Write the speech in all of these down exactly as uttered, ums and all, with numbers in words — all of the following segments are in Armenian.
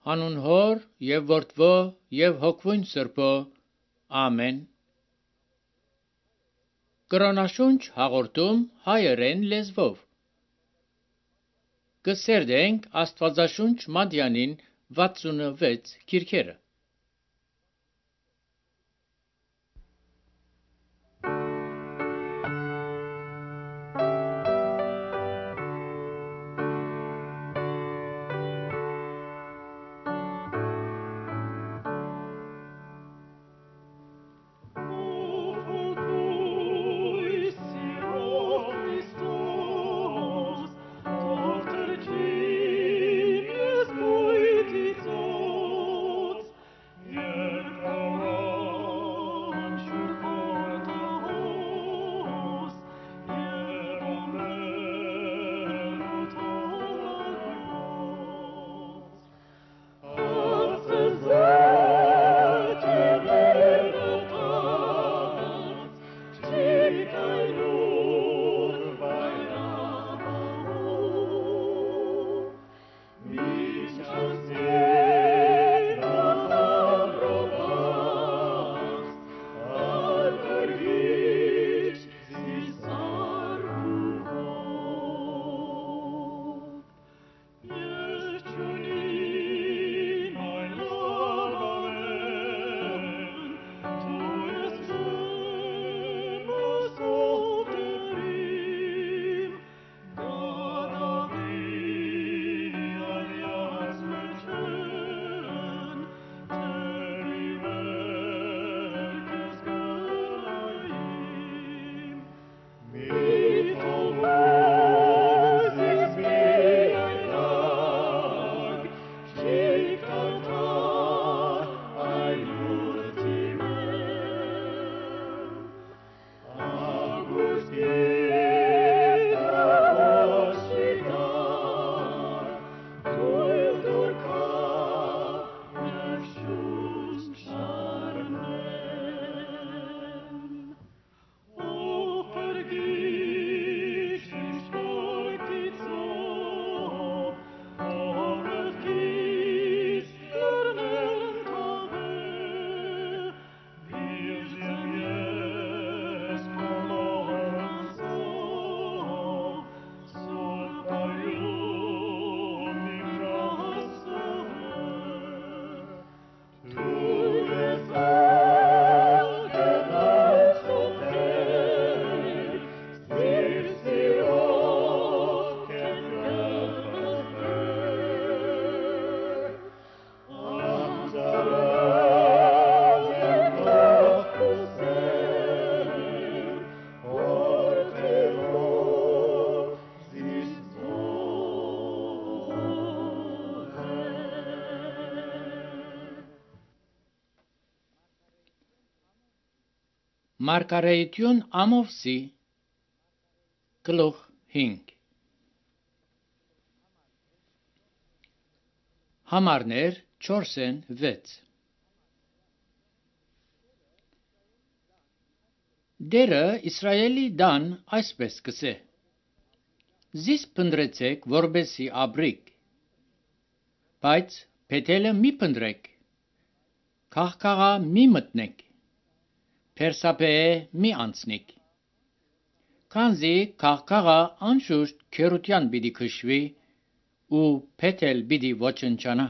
Հանուն Հոր եւ Որդվո եւ Հոգվույն Սրբո։ Ամեն։ Կրոնաշունչ հաղորդում հայերեն լեզվով։ Կսերդենք Աստվածաշունչ Մատյանին վաթսունվեց քիրքերը։ Մարգարեություն Ամովսի գլուխ հինգ Համարներ չորսեն վեց Դերը Իսրայելի դան այսպես կսե Զիս պնդրեցեք որբեսի աբրիկ Բայց փետելը մի պնդրեք Քաղքաղա մի մտնեք Փերսապեե մի անցնիկ Քանզի քաղքաղա անշուշտ քերության պիտի քշվի ու փետել պիտի ոչնչանա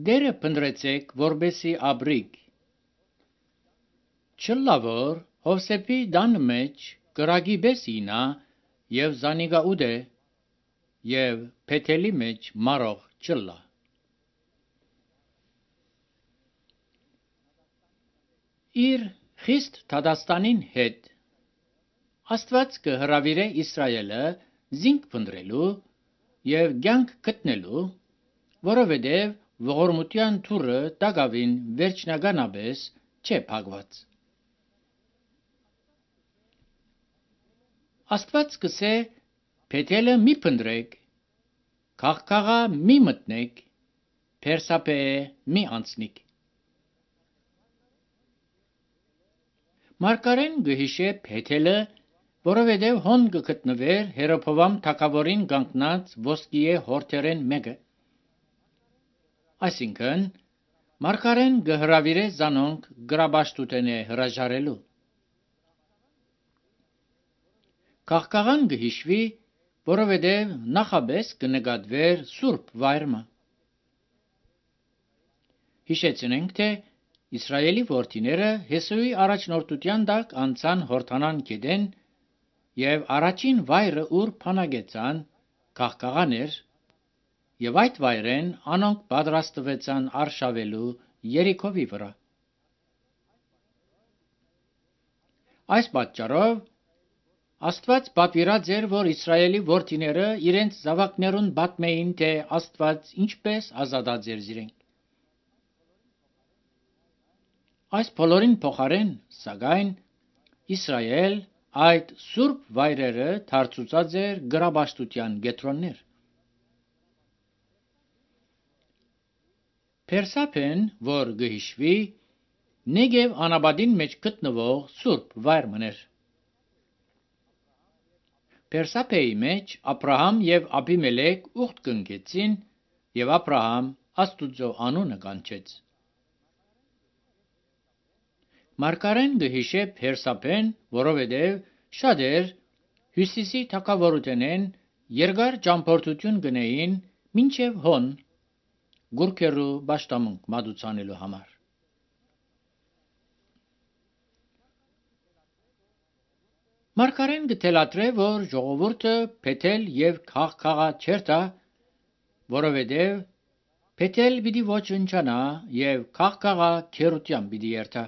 Դերը պնդրեցեք որբեսի աբրիկ Չլավոր Հովսեփի դան մեջ կրագի բեսինա եւ զանիգա ուդե եւ փետելի մեջ մարող չլա Իր խիստ Թադաստանին հետ Աստված կհրավիրե Իսրայելը զինք փնտրելու եւ ցանկ գտնելու, որովհետեւ ողորմության թուրը Դագավին վերջնականաբես չէ փակված։ Աստված կսե փետելը մի փնտրեք, քաղքաղա մի մտնեք, Փերսապեե մի անցնիկ։ Մարգարեն գհիշե փեթելը, որովհետև հոն գտնվեր Հերոփովամ թագավորին կանգնած ոսկիե հորթերեն մեկը, Այսինքն, մարգարեն գհրավիրե զանոնք գրաբաշտութենե հրաժարելու։ Քաղաքական գհիշվի, որովհետև նախաբես կնկատվեր սուրբ վայրը։ Հիշեցնենք, թե Իսրայելի որդիները Հեսուի առաջնորդության տակ անցան Հորդանան գետեն եւ առաջին վայրը ուր փանագեցան քաղաքական էր, եւ այդ վայրեն անոնք պատրաստվեցան արշավելու Երիքովի վրա։ Այս պատճառով Աստված պատվիրած էր, որ Իսրայելի որդիները իրենց զավակներուն պատմեին, թե Աստված ինչպես ազատած էր իրենք։ Այս բոլորին փոխարեն, սակայն, Իսրայել այդ սուրբ վայրերը դարձուցած էր գրաբաշտության գետրոններ։ Փերսափեն, որ գհիշվի, Նեգև անապատին մեջ գտնվող սուրբ վայրն էր։ Փերսափեի մեջ Աբրահամ եւ Աբիմելեք ուխտ կնքեցին եւ Աբրահամ Աստուծո անունը կանչեց։ Մարգարեն գհիշե Փերսափեն, որովհետև շատեր Հյուսիսի թագավորութենեն երկար ճամփորդություն գնային մինչև հոն գուրքերու պաշտամունք մատուցանելու համար։ Մարգարեն գտելատրե, որ ժողովուրդը փեթել եւ քաղաքաղա չերտա, որովհետև փեթել պիտի ոչնչանա եւ քաղաքաղա քերության պիտի երթա։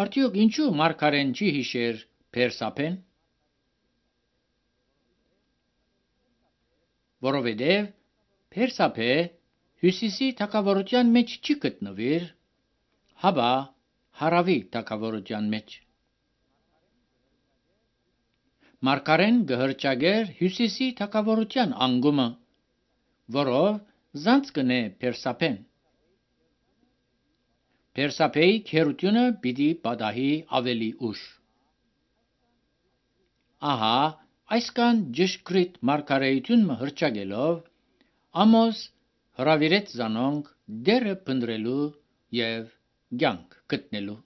Արդյոք ինչու մարգարեն չի հիշեր Փերսափեն։ Որովհետև Փերսափե Հյուսիսի թագավորության մեջ չի գտնվիր, հաբա հարավի թագավորության մեջ։ Մարգարեն գհրճագեր Հյուսիսի թագավորության անգումը, որով զանց կնե Փերսափեն։ Փերսափեի քերությունը պիտի պատահի ավելի ուշ։ Ահա, այսքան ճշգրիտ մարգարեություն հրճագելով, Ամոս հրավիրեց զանոնք դերը փնտրելու եւ կյանք գտնելու։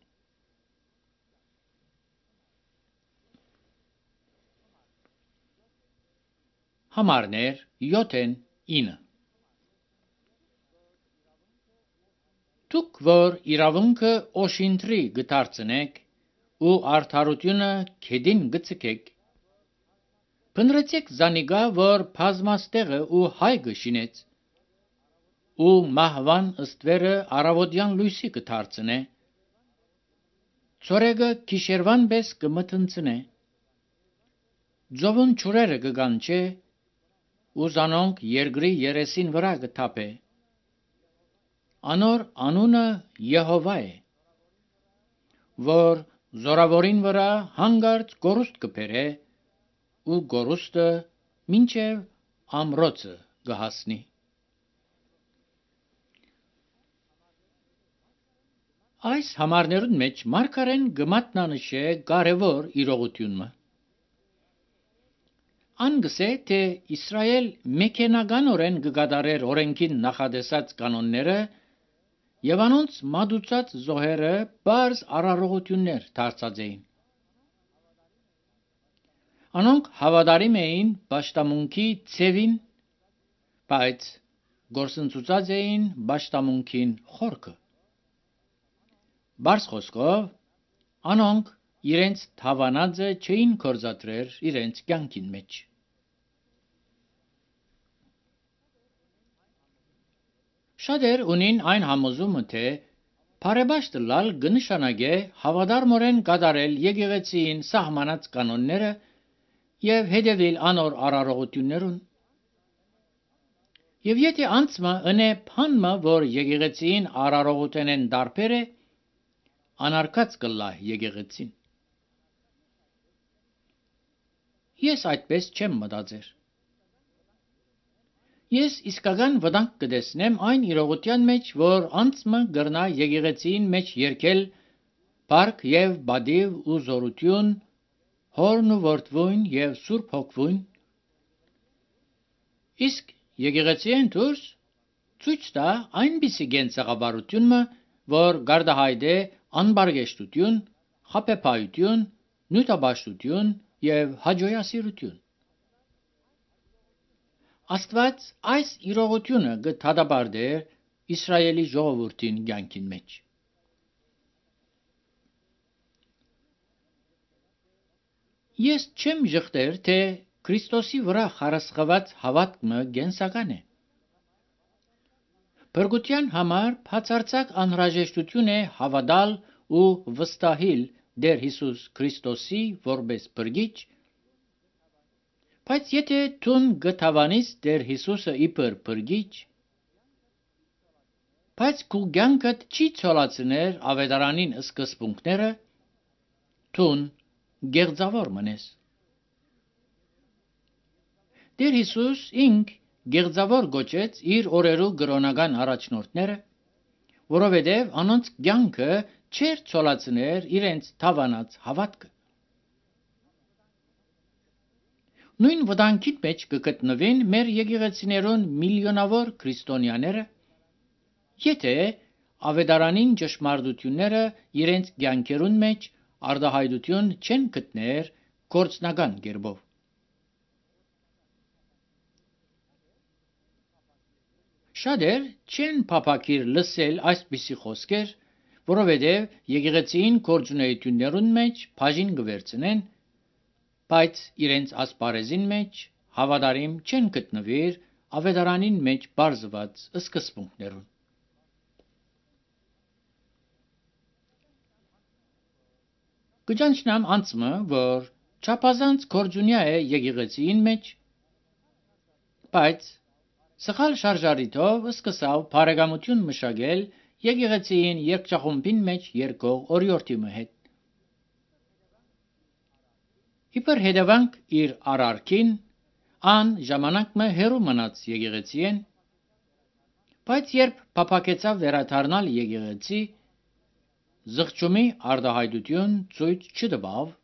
Համարներ յոթեն ինը Դուք, որ իրավունքը օշինտրի գտարցնեք ու արդարությունը քեդին գցկեք, փնտրեցեք զանիգա, որ բազմաստեղը ու հայ գշինեց, ու մահվան ըստվերը արավոտյան լույսի գտարցնե, ծորեգը գիշերվան պես կմթնցնե, ձովուն ճուրերը կգանչե, ու զանոնք երկրի երեսին վրա կթափե, անոր անունը Եհովա է, որ զորավորին վրա հանգարց գորուստ կբերե, ու գորուստը մինչև ամրոցը կհասնի։ Այս համարներուն մեջ մարգարեն գմատնանշե կարևոր իրողությունը։ Անգսե, թե Իսրայել մեքենականորեն կգադարեր օրենքին նախադեսած կանոնները եւ անոնց մատուցած զոհերը բարձ արարողություններ դարձած էին։ Անոնք հավատարիմ էին պաշտամունքի ցևին, բայց գործընծուցած էին պաշտամունքին խորքը։ Բարձ խոսքով, անոնք իրենց թավանածը չէին կործատրեր իրենց կյանքին մեջ։ Շատեր ունին այն համոզումը, թե բարեբաշտ լալ կնշանակե հավատարմորեն կատարել եկեղեցիին սահմանած կանոնները եւ հետևել անոր արարողություններուն։ Եվ եթե անցմը ընե փանմը, որ եկեղեցիին արարողութենեն դարբեր է, անարկած կլա եկեղեցին։ Ես այդպես չեմ մտածեր։ Ես իսկական վտանգ կտեսնեմ այն իրողության մեջ, որ անցմը գրնա եկեղեցին մեջ երկել բարք եւ բադիվ ու զորություն, հորն ու որդվույն եւ սուրբ հոգվույն, իսկ եկեղեցին դուրս ցույց տա այնպիսի գենցաղավարությունը, որ գարդահայտ է անբարգեշտություն, խաբեբայություն, նյութաբաշխություն եւ հաջողասիրություն։ Աստված այս իրողությունը գտադաբարդեր Իսրայելի ժողովրդին կյանքին մեջ։ Ես չեմ ժխտեր, թե Քրիստոսի վրա խարսխված հավատքը գենսական է։ Փրկության համար բացարձակ անհրաժեշտություն է հավատալ ու վստահել Տեր Հիսուս Քրիստոսի որպես Փրկիչ, բայց եթե դու գտավանես Տեր Հիսուսը իբր Փրկիչ, բայց քո կյանքդ չի ցոլացներ ավետարանին սկզբունքները, դու գեղձավոր մնես։ Տեր Հիսուս ինք գեղձավոր գոչեց իր օրերու կրոնական առաջնորդները, որովհետև անոնց կյանքը չէր ցոլացներ իրենց թավանած հավատքը։ Նույն վտանգի մեջ կգտնվեն մեր եկեղեցիներուն միլիոնավոր քրիստոնյաները, եթե ավետարանին ճշմարտությունները իրենց կյանքերուն մեջ արտահայտություն չեն գտներ գործնական կերպով։ Շատեր չեն փափակիր լսել այսպիսի խոսքեր, որովհետև եկեղեցին գործունեություններուն մեջ բաժին կվերցնեն, բայց իրենց ասպարեզին մեջ հավատարիմ չեն գտնվիր ավետարանին մեջ բարձված սկզբունքներուն։ Կճանչնամ անցմը, որ չափազանց գործունյա է եկեղեցին մեջ, բայց սխալ շարժարիթով սկսավ բարեկամություն մշակել եկեղեցին երկչախումբին մեջ երկող օրիորդի հետ։ Իբր հետևանք իր արարքին, ան ժամանակ մը հերու մնաց եկեղեցին, բայց երբ փափակեցավ վերադառնալ եկեղեցի, զղջումի արտահայտություն ցույց չտվավ,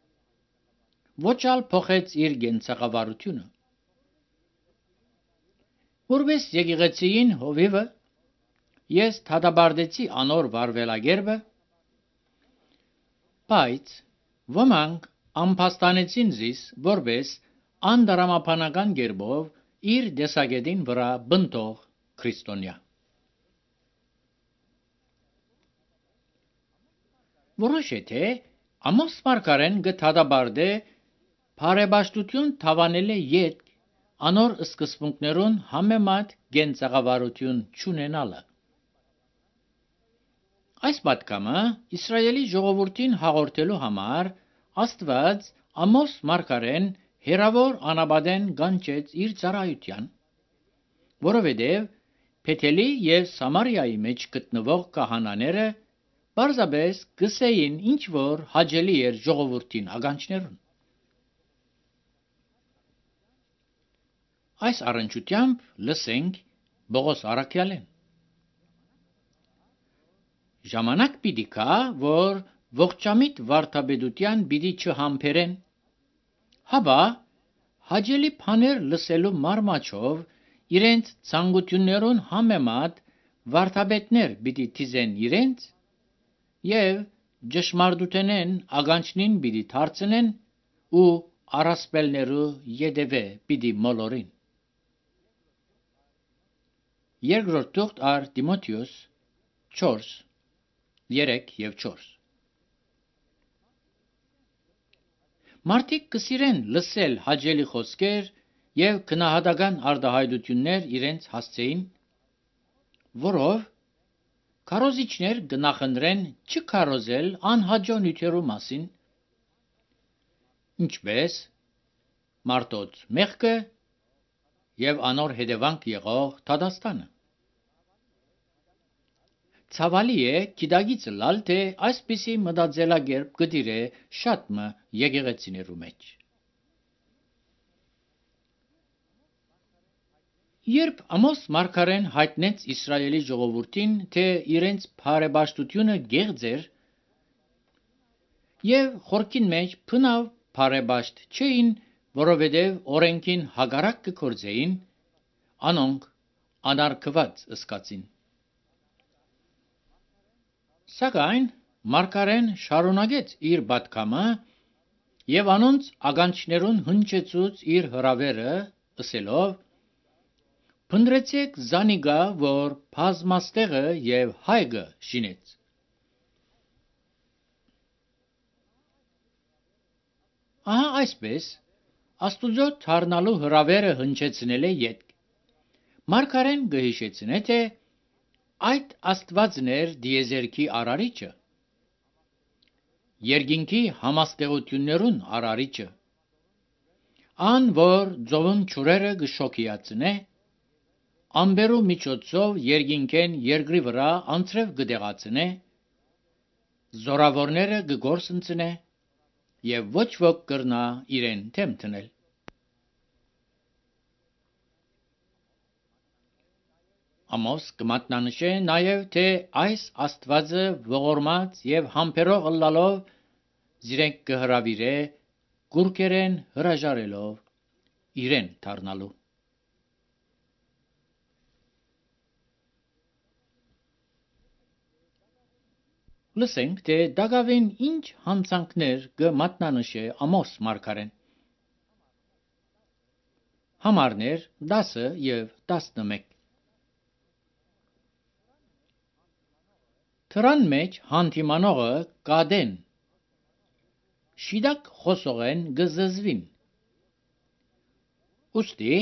ոչ ալ փոխեց իր գենցաղավարությունը։ Որպես եկեղեցին հովիվը, ես դատաբարտեցի անոր վարվելագերբը, բայց ոմանք ամփոստանեցին զիս որպես անդրամաբանական կերպով իր դեսագետին վրա բնտող քրիստոնյա։ Որոշե թե Ամոս մարգարեն գտադաբարդե բարեպաշտություն թավանել է յետ անոր սկզբունքներուն համեմատ գենցաղավարություն չունենալը։ Այս պատգամը Իսրայելի ժողովրդին հաղորդելու համար Աստված Ամոս մարգարեն հերավոր անապատեն կանչեց իր ծառայության, որովհետև Փեթելի և Սամարիայի մեջ գտնվող քահանաները պարզապես գսեին ինչ որ հաճելի էր ժողովրդին ականջներուն։ Այս առնչությամբ լսենք Պողոս առաքյալին։ Ժամանակ պիտի գա, որ ողջամիտ վարդապետության պիտի չհամբերեն, հապա հաճելի բաներ լսելու մարմաչով իրենց ցանկություններուն համեմատ վարդապետներ պիտի թիզեն իրենց և ճշմարտութենեն ականջնին պիտի դարձնեն ու առասպելներու ետևե պիտի մոլորին։ Երկրորդ թուղթ առ Տիմոթեոս չորս երեք և չորս։ Մարդիկ կսիրեն լսել հաճելի խոսքեր և գնահատական արտահայտություններ իրենց հասցեին, որով քարոզիչներ կնախընտրեն չքարոզել անհաջո նյութերու մասին, ինչպես մարդոց մեղքը և անոր հետևանք եղող դատաստանը։ Ցավալի է գիտակիցը լալ, թե այսպիսի մտածելակերպ գտիր է շատ մը եկեղեցիներու մեջ։ Երբ Ամոս մարգարեն հայտնեց Իսրայելի ժողովրդին, թե իրենց բարեպաշտությունը գեղձ էր և խորքին մեջ բնավ բարեպաշտ չէին, որովհետև օրենքին հակառակ կգործեին, անոնք անարգված ըսկացին։ Սակայն մարգարեն շարունակեց իր պատգամը եւ անոնց ականջներուն հնչեցուց իր հրավերը, ըսելով. «Փնտրեցեք զանիկա, որ բազմաստեղը եւ հայգը շինեց»։ Ահա այսպես Աստուծո թարնալու հրավերը հնչեցնել է ետք։ Մարգարեն գհիշեցնե, թե այդ Աստվածն էր դիեզերքի արարիչը, երկինքի համաստեղություններուն արարիչը, ան որ ծովուն ջուրերը գշոքիացնե, ամբերու միջոցով երկինքեն երկրի վրա անցրև գդեղացնե, զորավորները գգործընծնե եւ ոչ ոք կրնա իրեն թեմ տնել։ Ամոս կմատնանշե նաև, թե այս Աստվածը ողորմած եւ համբերող ըլլալով զիրենք կհրավիրե գուրքերեն հրաժարելով իրեն դառնալու։ Լսենք, թե դակավին ինչ հանցանքներ կմատնանշե Ամոս մարգարեն։ Համարներ դասը եւ տասնմեկ։ Թրան մեջ հանդիմանողը կադեն, շիդակ խոսողեն գզզվին։ Ուստի,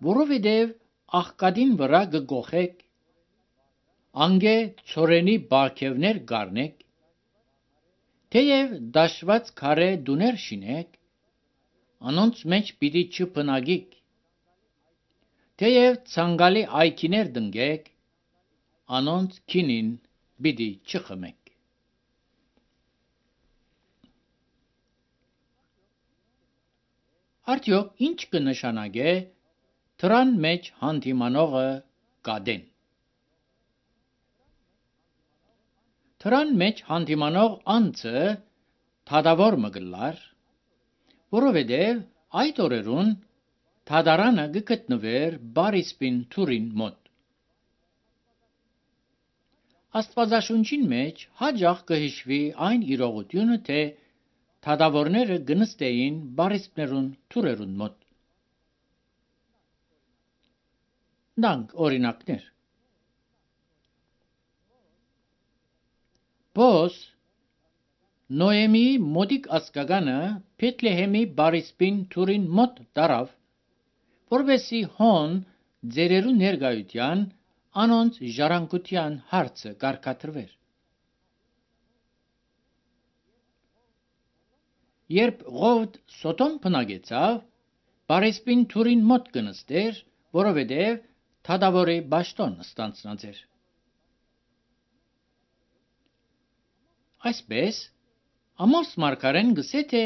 որովհետև աղկադին վրա գգոխեք, անգե ծորենի բարգևներ գարնեք, թեև դաշված քարե դուներ շինեք, անոնց մեջ պիտի չփնագիք, թեև ցանկալի այքիներ դնգեք, անոնց քինին պիտի չխմեք։ Արդյոք ինչ կնշանակե թրան մեջ հանդիմանողը կադեն։ Թրան մեջ հանդիմանող անձը թադավոր մգլար, որովհետև այդ օրերուն թադարանը գգտնվեր Բարիսպին թուրին մոտ։ Աստվածաշունչին մեջ հաջող կհիշվի այն իրողությունը, թե թադավորները գնստեին բարիսպներուն թուրերուն մոտ։ Դանք օրինակներ։ Բոս Նոեմի մոդիկ ասկագանը Փեթլեհեմի բարիսպին թուրին մոտ դարավ, որովհետեւ հոն ձերերու ներգայության անոնց ժառանգության հարցը կարգադրվեր։ Երբ Ղովդ Սոդոմ բնագեցավ, բարիսպին թուրին մոտ կնստեր, որովհետև թադավորի բաշտոն ստանցնած էր։ Այսպես Ամոս մարգարեն գսե, թե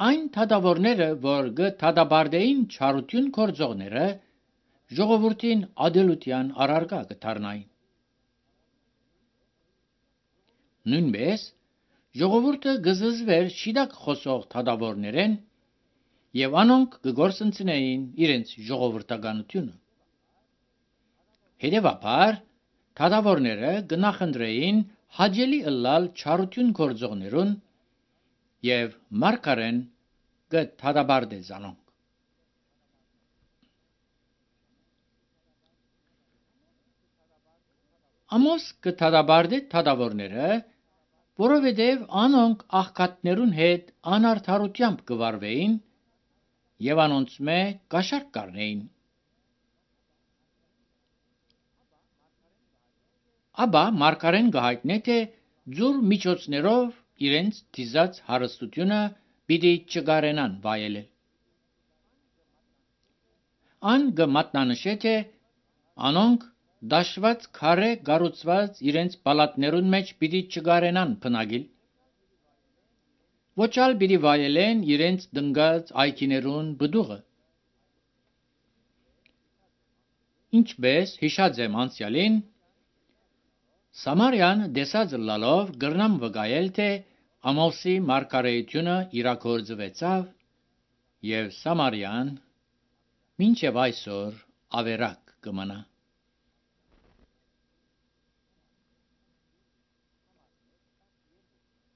այն թադավորները, որ գթադաբարդեին չարություն գործողները, ժողովրդին ադելության առարգա կդառնային։ Նույնպես ժողովուրդը գզզվեր շիդակ խոսող թադավորներեն եւ անոնք կգործընծնեին իրենց ժողովրդականությունը։ Հետևաբար թադավորները կնախընտրեին հաճելի ըլլալ չարություն գործողներուն եւ մարգարեն կթադաբարդե զանոնք։ Ամոս կթադաբարդե թադավորները, որովհետև անոնք աղքատներուն հետ անարդարությամբ կվարվեին եւ անոնց մե կաշառք կառնեին։ Աբա մարգարեն կհայտնե, թե ձուր միջոցներով իրենց դիզած հարստությունը պիտի չգարենան վայելել։ Ան կմատնանշե, թե անոնք դաշված քարե գառուցված իրենց պալատներուն մեջ պիտի չգարենան բնագիլ։ Ոչալ պիտի վայելեն իրենց դնգած այքիներուն բդուղը։ Ինչպես հիշած եմ անցյալին, Սամարյան դեսած լալով գրնամ վկայել, թե Ամոսի մարգարեությունը իրագործվեցավ եւ Սամարյան մինչև այսօր ավերակ կմնա։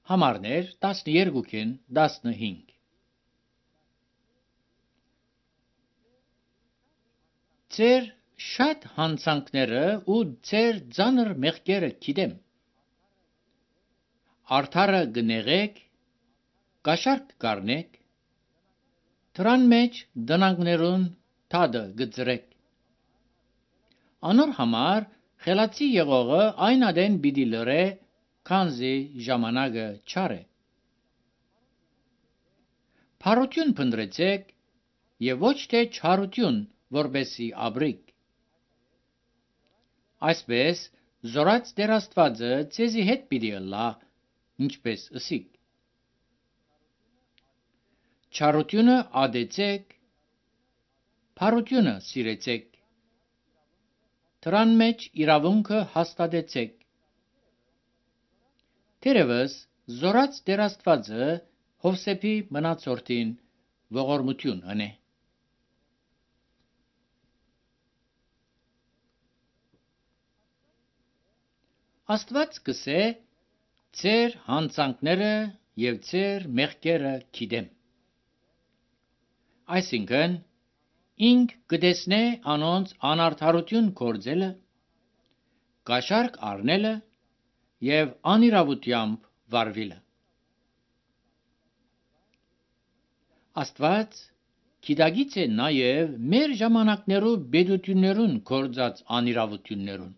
Համարներ տասներկուքին տասնհինգ Ձեր շատ հանցանքները ու ձեր ծանր մեղքերը գիտեմ։ Արդարը գնեղեք, կաշառք կառնեք, դրան մեջ դնանքներուն թադը գծրեք։ Անոր համար խելացի եղողը այն ադեն պիտի լրե, քանզի ժամանակը չար է։ Փառություն փնտրեցեք եւ ոչ թե չարություն, որբեսի ապրիք։ Այսպես զորած Տեր Աստվածը ձեզի հետ պիտի ըլլա, ինչպես ըսիք։ Չարությունը ադեցեք, փառությունը սիրեցեք, դրան մեջ իրավունքը հաստատեցեք։ Թերևս զորած Տեր Աստվածը Հովսեփի մնացորդին ողորմություն անե։ Աստված կսե ձեր հանցանքները եւ ձեր մեղքերը գիտեմ։ Այսինքն ինք կտեսնե անոնց անարդարություն կործելը, կաշառք առնելը եւ անիրավությամբ վարվելը։ Աստված գիտագից է նաեւ մեր ժամանակներու բեդություններուն կործած անիրավություններուն։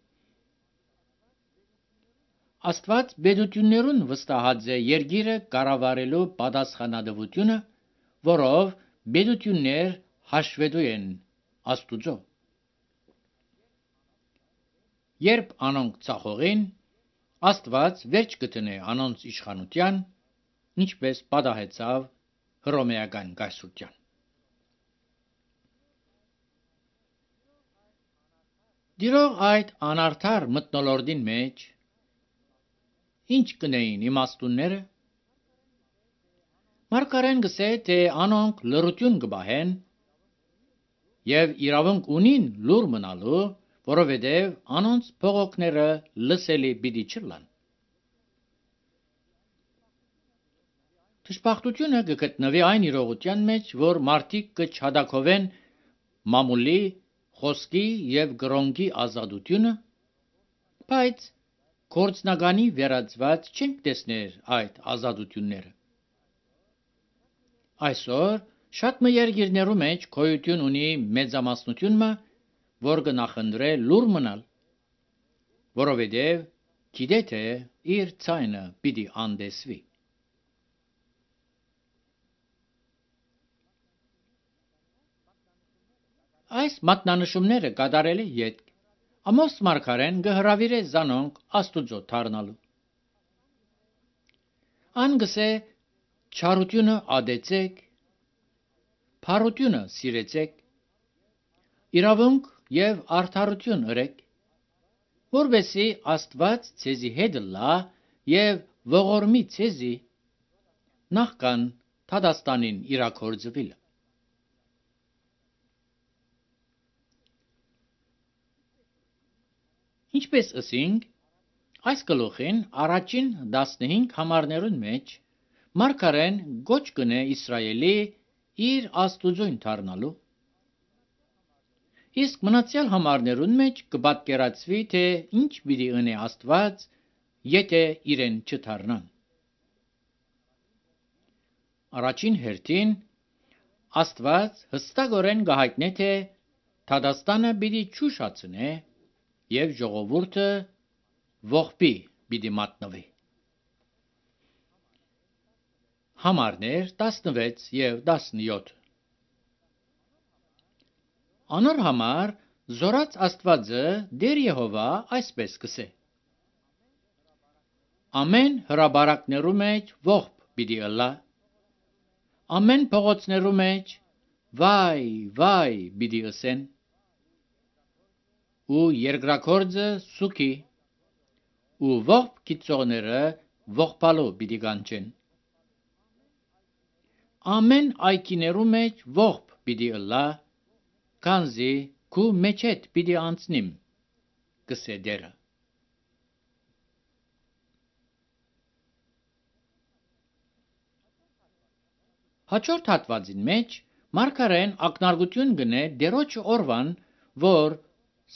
Աստված բեդություններուն վստահած է երգիրը կառավարելու պատասխանատվությունը, որով բեդություններ հաշվետու են Աստուծո։ Երբ անոնք ցախողին, Աստված վերջ կտնե անոնց իշխանության, ինչպես պատահեցավ հռոմեական կայսրության։ Դիրող այդ անարդար մթնոլորտին մեջ ինչ կնեին իմաստունները։ Մարգարեն գսե, թե անոնք լրություն կբահեն եւ իրավունք ունին լուր մնալու, որովհետեւ անոնց փողոքները լսելի պիտի չլան։ Դժբախտությունը կգտնվի այն իրողության մեջ, որ մարդիկ կչադակովեն մամուլի, խոսքի եւ գրոնքի ազատությունը, բայց գործնականի վերածված չենք տեսներ այդ ազատությունները։ Այսօր շատ մը երկիրներու մեջ գոյություն ունի մեծամասնությունը, որ կնախընտրե լուր մնալ, որովհետև գիտե թե իր ցայնը պիտի անդեսվի։ Այս մատնանշումները կատարելի յետք Ամոս մարգարեն գհրավիրե զանոնք Աստուծո դառնալու։ Ան գսե չարությունը ադեցեք, փառությունը սիրեցեք, իրավունք եւ արդարություն ըրեք, որովհետեւ Աստված ցեզի հետ լա եւ ողորմի ցեզի նախքան Թադաստանին իրակորձվիլ։ Ինչպես ըսինք, այս գլուխին առաջին տասնհինգ համարներուն մեջ մարգարեն գոչ կնե Իսրայելի իր Աստուծոյն դառնալու, իսկ մնացյալ համարներուն մեջ կպատկերացվի, թե ինչ պիտի ընե Աստված, եթե իրեն չդառնան։ Առաջին հերթին Աստված հստակորեն կհայտնե, թե Թադաստանը պիտի չուշացնե եւ ժողովուրդը ողբի պիտի մատնվի։ Համարներ տասնվեց եւ տասնյոթ Անոր համար զորած Աստվածը Տեր Եհովա այսպես կսե. Ամեն հրաբարակներու մեջ ողբ պիտի ըլլա, ամեն փողոցներու մեջ վայ, վայ պիտի ըսեն, ու երկրակորձը սուքի, ու ողբ գիծողները ողբալու պիտի կանչեն։ Ամեն այգիներու մեջ ողբ պիտի ըլլա, քանզի քու մեջեդ պիտի անցնիմ, գսե դերը։ Հաջորդ հատվածին մեջ մարգարեն ակնարկություն գնե դերոջ օրվան, որ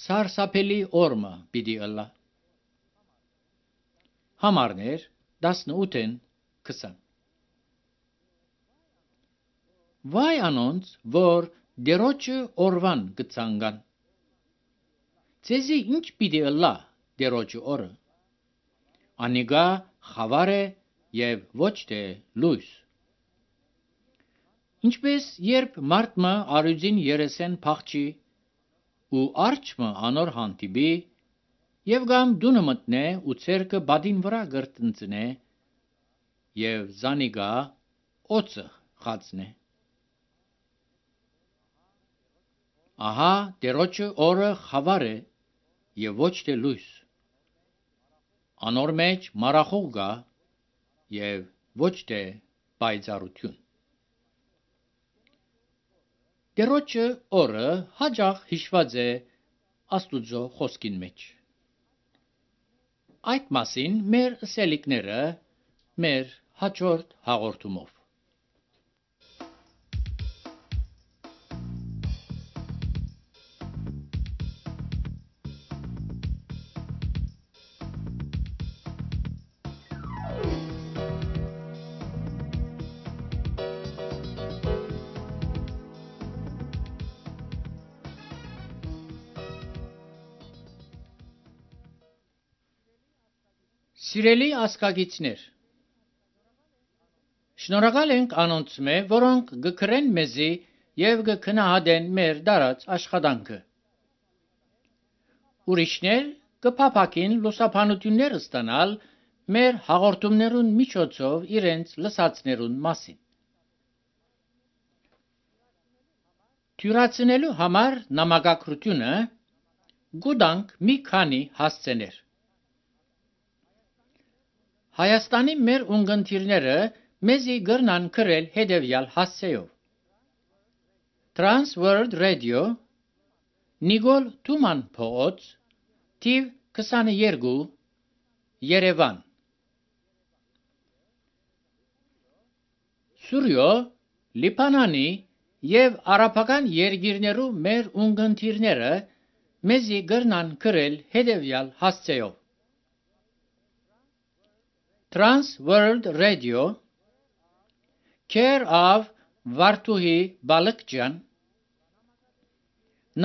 սարսափելի օրմը պիտի ըլլա։ Համարներ տասնութ քսան Վայ անոնց, որ դերոջը օրվան գցանգան։ Ձեզի ինչ պիտի ըլլա դերոջը օրը։ Անիգա խավար է և ոչ թե լույս։ Ինչպես երբ մարդը արյուծին երեսեն փախչի ու արջը անոր հանդիպի եւ գամ դունը մտնե ու ցերկը բադին վրա գրտնցնե եւ զանիգա օծը խածնե։ Ահա դերոջը օրը խավար է եւ ոչ թե լույս։ Անոր մեջ մարախուղ կա եւ ոչ թե պայծառություն։ Դերոջը օրը հաջող հիշված է Աստուծո խոսքին մեջ։ Այդ մասին մեր ըսելիքները մեր հաջորդ հաղորդումով։ Սիրելի ասկագիցներ, շնորհակալ ենք անոնց մե, որոնք գկրեն մեզի եւ գքնահատեն մեր դարած աշխատանքը։ Ուրիշներ կփափակին լուսաբանություններ ստանալ մեր հաղորդումներուն միջոցով իրենց լսածներուն մասին։ Թյուրացնելու համար նամակագրությունը գուտանք մի քանի հասցեներ։ Հայաստանի մեր ունգընտիրները մեզի գրնան գրել հետևյալ հասցեով. Trans World Radio, Նիկոլ Թուման փողոց, թիվ քսաներկու, Երևան։ Սուրյո, Լիբանանի եւ արաբական երկիրներու մեր ունգընտիրները մեզի գրնան գրել հետևյալ հասցեով. Trans World Radio, Care of Վարդուհի Բալկջյան,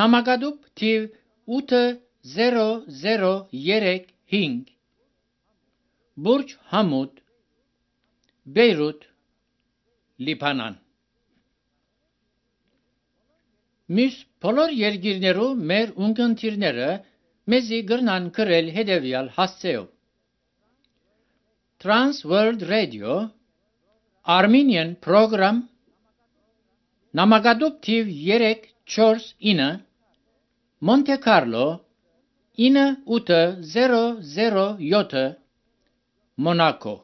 Նամակադուպ թիվ ութ զերո զերո երեք հինգ, Բուրջ Համուդ, Բեյրութ, Լիբանան։ Մյուս բոլոր երկիրներու մեր ունգընտիրները մեզի գրնան գրել հետևյալ հասցեով. Trans World Radio, Armenian Program, Նամակադուպ թիվ երեք չորս ինը, Monte Carlo, ինը ութ զերո զերո յոթ, Monaco։